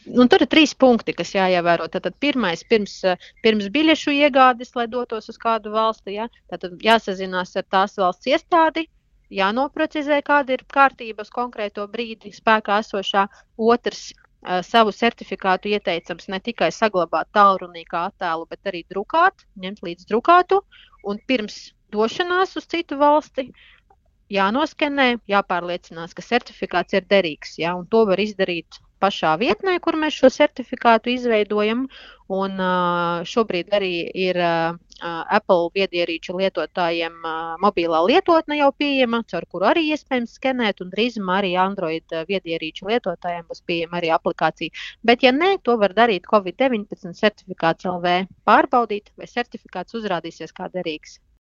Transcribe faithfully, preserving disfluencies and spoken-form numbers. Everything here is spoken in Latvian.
Un tur ir trīs punkti, kas jāievēro. Tātad pirmais, pirms, pirms biļešu iegādes, lai dotos uz kādu valsti, ja? Tātad jāsazinās ar tās valsts iestādi, jānoprecizē, kāda ir kārtība uz konkrēto brīdi spēkā esošā. Otrs, uh, savu certifikātu ieteicams ne tikai saglabāt tālrunī kā attēlu, bet arī drukāt, ņemt līdz drukātu. Un pirms došanās uz citu valsti jānoskenē, jāpārliecinās, ka certifikāts ir derīgs. Ja? Un to var izdarīt pašā vietnē, kur mēs šo certifikātu izveidojam, un uh, šobrīd arī ir uh, Apple viedierīču lietotājiem uh, mobilā lietotne jau pieejama, caur kuru arī iespējams skenēt, un drīzumā arī Android viedierīču lietotājiem būs pieejama arī aplikācija. Bet, ja nē, to var darīt Covid deviņpadsmit certifikāts L V, pārbaudīt, vai certifikāts uzrādīsies kā derīgs.